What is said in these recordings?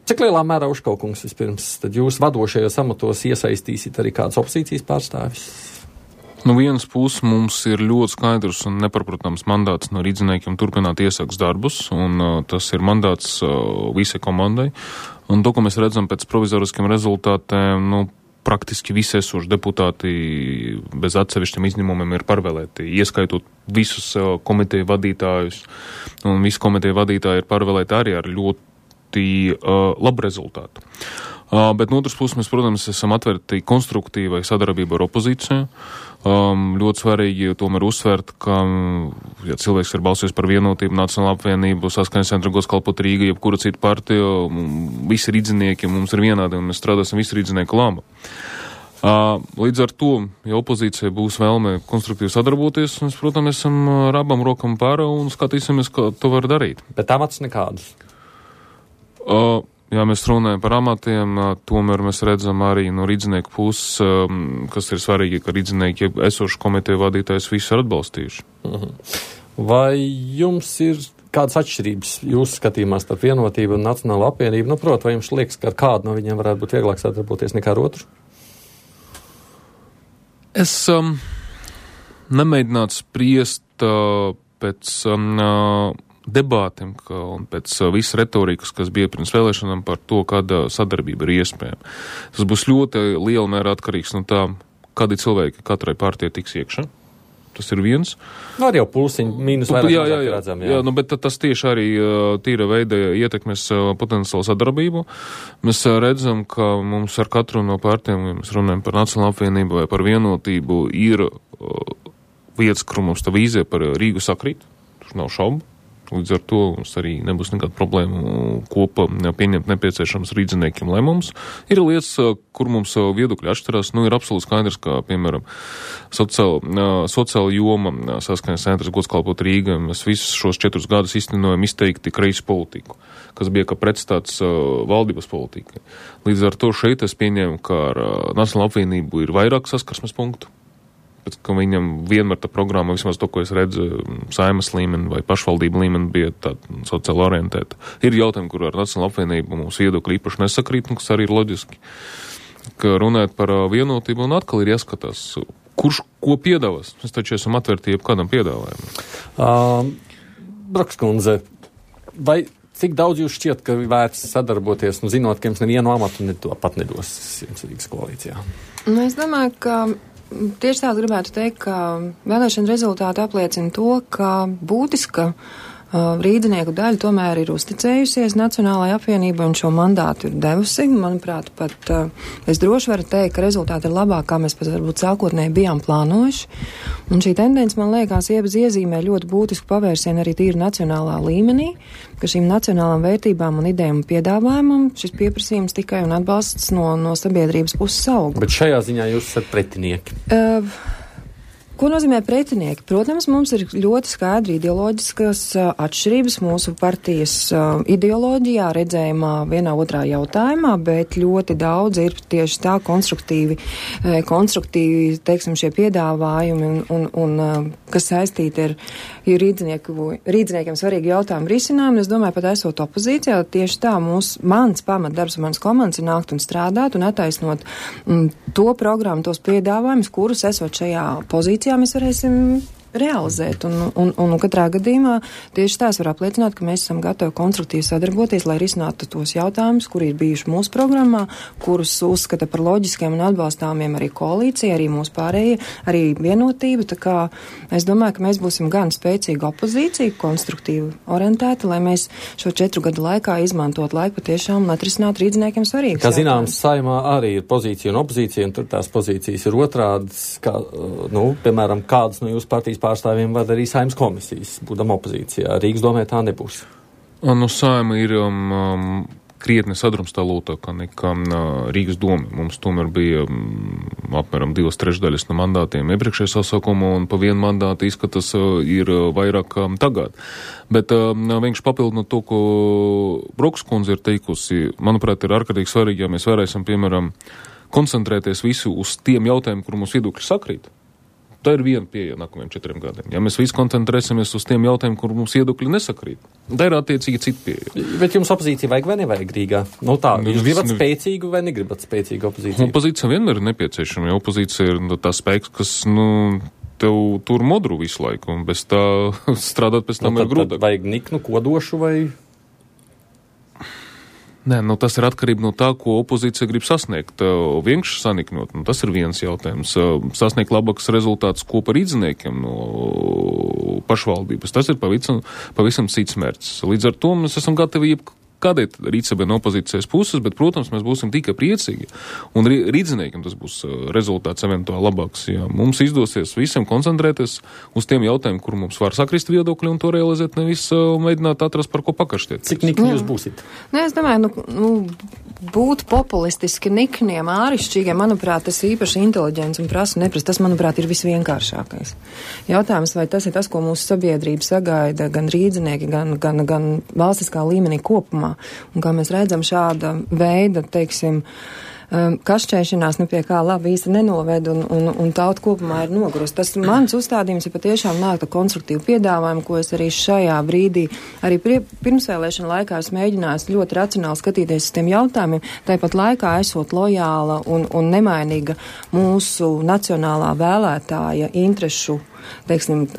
Cik lielā mērā Uškaukungs vispirms, tad jūs vadošajos amatos iesaistīsiet arī kādas opozīcijas pārstāvis? No vienas puses mums ir ļoti skaidrs un neparprotams mandāts no rīdziniekiem turpināt iesāks darbus, un tas ir mandāts visai komandai. Un to, ko mēs redzam pēc provizoriskiem rezultātiem, praktiski visi esoši deputāti bez atsevišķiem izņēmumiem ir pārvēlēti, ieskaitot visus komiteju vadītājus, un visi komiteju vadītāji ir pārvēlēti arī ar ļoti labu rezultātu. Bet no otras puses mēs, protams, esam atvērti konstruktīvai sadarbībai ar opozīciju. Ļoti svarīgi tomēr uzsvērt, ka, ja cilvēks ir balsojis par Vienotību, Nacionālo apvienību, Saskaņas centru, Godskalpot Rīga, jebkura cita partija, visi rīdzinieki mums ir vienādi, un mēs strādāsim visi rīdzinieku laba. Līdz ar to, ja opozīcija būs vēlme konstruktīvi sadarboties, mēs, protams, esam ar abām rokām pārā un skatīsimies, kā to var darīt. Bet amats nekādus? Ja mēs runājam par amatiem, tomēr mēs redzam arī no rīdzinieku puses, kas ir svarīgi, ka rīdzinieki esošu komiteju vadītājs visu ir atbalstījuši. Vai jums ir kādas atšķirības jūsu skatījumā starp Vienotību un Nacionālo apvienību? Protams, vai jums liekas, ka ar kādu no viņiem varētu būt vieglāk sadarboties nekā ar otru? Es nemēģinātu spriest pēc debātiem un pēc visas retorikas, kas bija pirms vēlēšanām par to, kāda sadarbība ir iespējama. Tas būs ļoti liela mērā atkarīgs no tā, kādi cilvēki katrai partijai tiks iekšā. Tas ir viens. Var jau plusiņi, mīnus vairāk redzam. Jā, bet tas tieši arī tīra veida ietekmēs potenciālu sadarbību. Mēs redzam, ka mums ar katru no partijām, ja mēs runājam par Nacionālo apvienību vai par Vienotību, ir vietas, kur mums tā vīzija par Rīgu sakrīt. Tur nav šaubu. Līdz ar to mums arī nebūs nekāda problēma kopā pieņemt nepieciešams rīdziniekiem lēmumus. Ir lietas, kur mums viedokļi atšķirās. Ir absolūti skaidrs, ka, piemēram, sociāla joma, Saskaņas centrs, Godskalpot Rīga, mēs visus šos 4 gadus iztenojam izteikti kreisi politiku, kas bija kā pretstāts valdības politikai. Līdz ar to šeit es pieņēmu, ka ar Nacionālo apvienību ir vairāk saskarsmes punktu. Bet, ka viņam vienmēr tā programma, vismaz to, ko es redzu, saimas līmeni vai pašvaldību līmeni, bija tāda sociāli orientēta. Ir jautājumi, kur ar Nacionālo apvienību mums viedokļi īpaši nesakrīt, kas arī ir loģiski. Ka runājot par Vienotību, un atkal ir jāskatās, kurš ko piedāvās. Mēs taču esam atvērti jebkādam piedāvājumam. Brokskundze, vai cik daudz jūs šķiet, ka vērts sadarboties, zinot, ka jums nevienu amatu pat nedos Rīgas koalīcijā? Es domāju, ka tieši tā gribētu teikt, ka vēlēšana rezultāti apliecina to, ka būtiska rīdzinieku daļa tomēr ir uzticējusies Nacionālajai apvienībai un šo mandātu ir devusi. Manuprāt, pat es droši varu teikt, ka rezultāti ir labāk, kā mēs pat varbūt sākotnēji bijām plānojuši. Un šī tendence, man liekas, iezīmē ļoti būtisku pavērsienu arī tīri nacionālā līmenī, ka šīm nacionālām vērtībām un idejām un piedāvājumam šis pieprasījums tikai un atbalsts no sabiedrības puses aug. Bet šajā ziņā jūs esat pretinieki? Ko nozīmē pretinieki? Protams, mums ir ļoti skaidri ideoloģiskas atšķirības mūsu partijas ideoloģijā, redzējumā vienā otrā jautājumā, bet ļoti daudz ir tieši tā konstruktīvi, teiksim, šie piedāvājumi un kas saistīti ar rīdziniekiem svarīgi jautājumu risinājumu. Es domāju, pat esot opozīcijā, tieši tā mans pamatdarbs un mans komandas ir nākt un strādāt un attaisnot to programmu, tos piedāvājumus, kurus esot šajā pozīcijā mēs varēsim realizēt. Un katrā gadījumā tieši tās var apliecināt, ka mēs esam gatavi konstruktīvi sadarboties, lai risinātu tos jautājumus, kuri ir bijuši mūsu programmā, kurus uzskata par loģiskiem un atbalstāmiem arī koalīcija, arī mūsu pārējie, arī Vienotība. Tā kā es domāju, ka mēs būsim gan spēcīga opozīcija, konstruktīvi orientēta, lai mēs šo 4 gadu laikā izmantot laiku patiešām un atrisināt rīdziniekiem svarīgus. Kā zināms, saimā arī ir pozīcija un opozīcija, un tur tās pozīcijas ir otrādas, kā, piemēram, kādas no jūsu partijas pārstāvjiem vada arī Saeimas komisijas, būdam opozīcijā. Rīgas domē tā nebūs. Saima ir krietni sadrumstalotāka nekā Rīgas doma. Mums tomēr bija apmēram 2/3 no mandātiem iepriekšējā sasaukumā, un pa vienu mandātu izskatās ir vairāk tagad. Bet vienkārši papildinot to, ko Brokskundze ir teikusi, manuprāt, ir ārkārtīgi svarīgi, ja mēs varēsim, piemēram, koncentrēties visu uz tiem jautājumiem, kur mums viedokļi sakrīt. Tā ir viena pieeja nākamajiem 4 gadiem. Ja mēs visi koncentrēsimies uz tiem jautājumiem, kur mums viedokļi nesakrīt, tā ir attiecīgi cita pieeja. Bet jums opozīcija vajag vai nevajag Rīgā? Nu tā, jūs gribat spēcīgu vai negribat spēcīgu opozīciju? Opozīcija vienmēr ir nepieciešama, jo opozīcija ir tā spēks, kas, tev tur modru visu laiku, un bez tā strādāt pēc tam ir grūtāk. Vajag niknu, kodošu vai... Nē, tas ir atkarība no tā, ko opozīcija grib sasniegt. Vienkārši saniknot, tas ir viens jautājums. Sasniegt labāks rezultāts kopā ar rīdziniekiem no pašvaldības. Tas ir pavisam cits mērķis. Līdz ar to mēs esam gatavi kādai rīcībai no opozīcijas puses, bet, protams, mēs būsim tikai priecīgi. Un rīdziniekiem tas būs rezultāts eventuāli labāks. Ja mums izdosies visiem koncentrēties uz tiem jautājumiem, kur mums var sakrist viedokļi un to realizēt, nevis mēģināt atrast, par ko pakašķiet. Cik nikni jūs būsit? Es domāju, būt populistiski nikniem, ārišķīgiem, manuprāt, tas īpaši inteliģents un prasa neprast. Tas, manuprāt, ir visvienkāršākais. Jautājums, vai tas ir tas, ko mūsu sabiedrība sagaida, gan rīdzinieki, gan valstiskā līmenī kopumā. Un kā mēs redzam, šāda veida, teiksim, kašķēšanās pie kā labi īsti nenoved un tauta kopumā ir nogurus. Tas mans uzstādījums ir patiešām nākt ar konstruktīvu piedāvājumu, ko es arī šajā brīdī, arī pirmsvēlēšana laikā es mēģināju ļoti racionāli skatīties uz tiem jautājumiem, tāpat laikā esot lojāla un nemainīga mūsu nacionālā vēlētāja interešu, teiksim,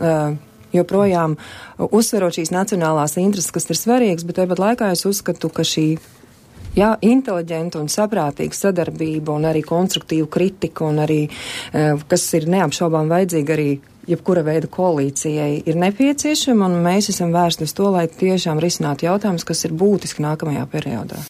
joprojām uzsverot šīs nacionālās intereses, kas ir svarīgas, bet tāpat laikā es uzskatu, ka šī inteliģenta un saprātīga sadarbība un arī konstruktīva kritika un arī, kas ir neapšaubām vajadzīga arī jebkura veida koalīcijai, ir nepieciešama, un mēs esam vērsti uz to, lai tiešām risinātu jautājumus, kas ir būtiski nākamajā periodā.